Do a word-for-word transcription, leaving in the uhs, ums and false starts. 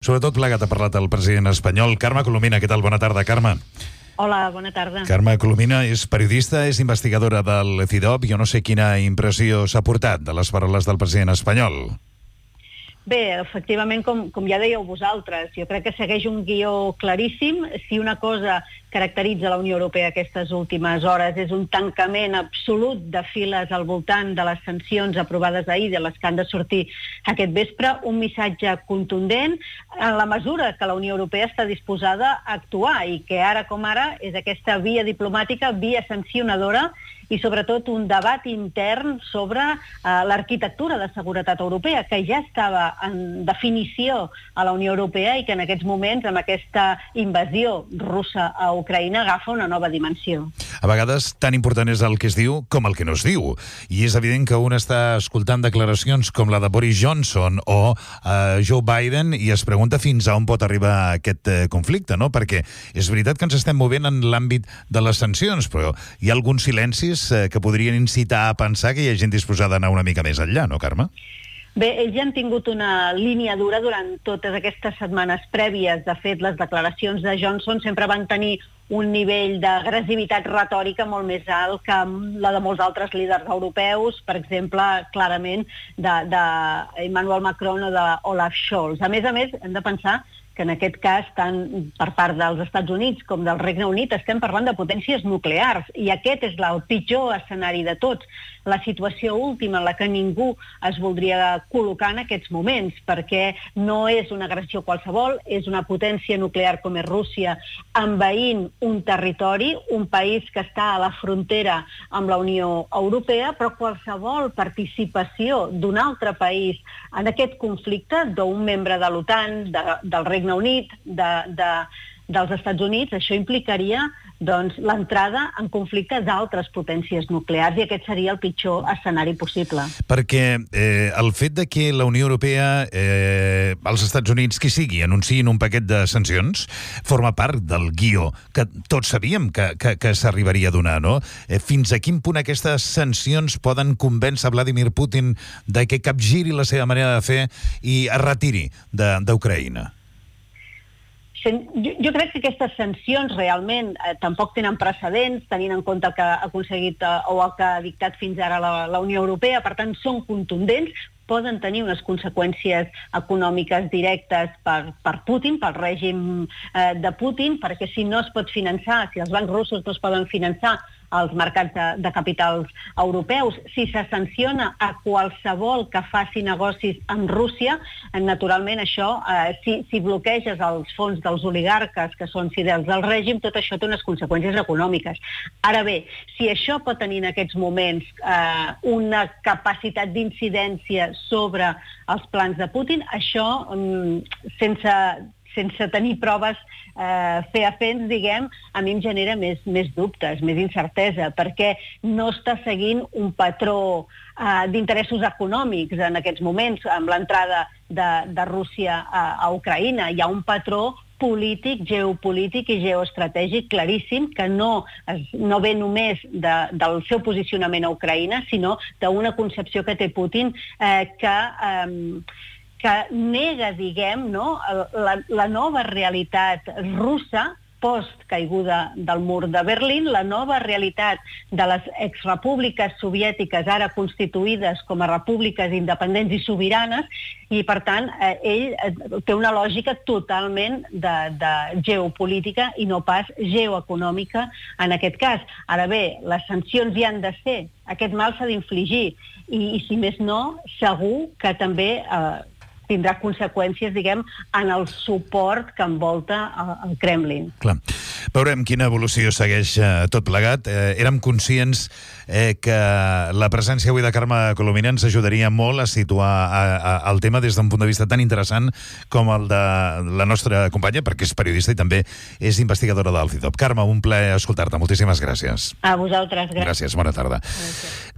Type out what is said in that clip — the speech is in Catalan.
Sobretot plegat ha parlat el president espanyol. Carme Colomina, què tal? Bona tarda, Carme. Hola, bona tarda. Carme Colomina és periodista, és investigadora del CIDOB. Jo no sé quina impressió s'ha portat de les paraules del president espanyol. Bé, efectivament, com, com ja dèieu vosaltres, jo crec que segueix un guió claríssim. Si una cosa caracteritza la Unió Europea aquestes últimes hores és un tancament absolut de files al voltant de les sancions aprovades ahir, de les que han de sortir aquest vespre, un missatge contundent en la mesura que la Unió Europea està disposada a actuar i que ara com ara és aquesta via diplomàtica, via sancionadora i sobretot un debat intern sobre uh, l'arquitectura de seguretat europea, que ja estava en definició a la Unió Europea i que en aquests moments, amb aquesta invasió russa a Ucraïna, agafa una nova dimensió. A vegades tan important és el que es diu com el que no es diu. I és evident que un està escoltant declaracions com la de Boris Johnson o uh, Joe Biden i es pregunta fins a on pot arribar aquest uh, conflicte, no? Perquè és veritat que ens estem movent en l'àmbit de les sancions, però hi ha alguns silencis que podrien incitar a pensar que hi ha gent disposada a anar una mica més enllà, no, Carme? Bé, ells ja han tingut una línia dura durant totes aquestes setmanes prèvies. De fet, les declaracions de Johnson sempre van tenir un nivell d'agressivitat retòrica molt més alt que la de molts altres líders europeus, per exemple, clarament, d'Emmanuel Macron o d'Olaf Scholz. A més a més, hem de pensar que en aquest cas, tant per part dels Estats Units com del Regne Unit, estem parlant de potències nuclears, i aquest és el pitjor escenari de tots, la situació última en la que ningú es voldria col·locar en aquests moments, perquè no és una agressió qualsevol, és una potència nuclear com és Rússia, envaint un territori, un país que està a la frontera amb la Unió Europea, però qualsevol participació d'un altre país en aquest conflicte, d'un membre de l'OTAN, de, del Regne Unit, de, de, dels Estats Units, això implicaria doncs, l'entrada en conflicte d'altres potències nuclears i aquest seria el pitjor escenari possible. Perquè eh, el fet de que la Unió Europea, eh, els Estats Units, qui sigui, anunciïn un paquet de sancions, forma part del guió que tots sabíem que, que, que s'arribaria a donar, no? Eh, fins a quin punt aquestes sancions poden convèncer Vladimir Putin de que capgiri la seva manera de fer i es retiri d'Ucraïna? Jo, jo crec que aquestes sancions realment eh, tampoc tenen precedents, tenint en compte el que ha aconseguit eh, o el que ha dictat fins ara la, la Unió Europea, per tant són contundents, poden tenir unes conseqüències econòmiques directes per, per Putin, pel règim eh, de Putin, perquè si no es pot finançar, si els bancs russos no es poden finançar als mercats de, de capitals europeus, si se sanciona a qualsevol que faci negocis amb Rússia, naturalment això, eh, si, si bloqueges els fons dels oligarques que són fidels del règim, tot això té unes conseqüències econòmiques. Ara bé, si això pot tenir en aquests moments eh, una capacitat d'incidència sobre els plans de Putin, això, mm, sense... sense tenir proves eh, fefaents, diguem, a mi em genera més, més dubtes, més incertesa, perquè no està seguint un patró eh, d'interessos econòmics en aquests moments, amb l'entrada de, de Rússia a, a Ucraïna. Hi ha un patró polític, geopolític i geoestratègic claríssim que no, es, no ve només de, del seu posicionament a Ucraïna, sinó d'una concepció que té Putin eh, que... Eh, que nega, diguem, no, la, la nova realitat russa post-caiguda del mur de Berlín, la nova realitat de les exrepúbliques soviètiques ara constituïdes com a repúbliques independents i sobiranes, i per tant eh, ell té una lògica totalment de, de geopolítica i no pas geoeconòmica en aquest cas. Ara bé, les sancions hi han de ser, aquest mal s'ha d'infligir i, i si més no, segur que també eh, tindrà conseqüències, diguem, en el suport que envolta el Kremlin. Clar. Veurem quina evolució segueix eh, tot plegat. Eh, érem conscients eh, que la presència avui de Carme Colomina ens ajudaria molt a situar a, a, el tema des d'un punt de vista tan interessant com el de la nostra companya, perquè és periodista i també és investigadora del CIDOB. Carme, un plaer escoltar-te. Moltíssimes gràcies. A vosaltres, gràcies. Gràcies, bona tarda. Gràcies.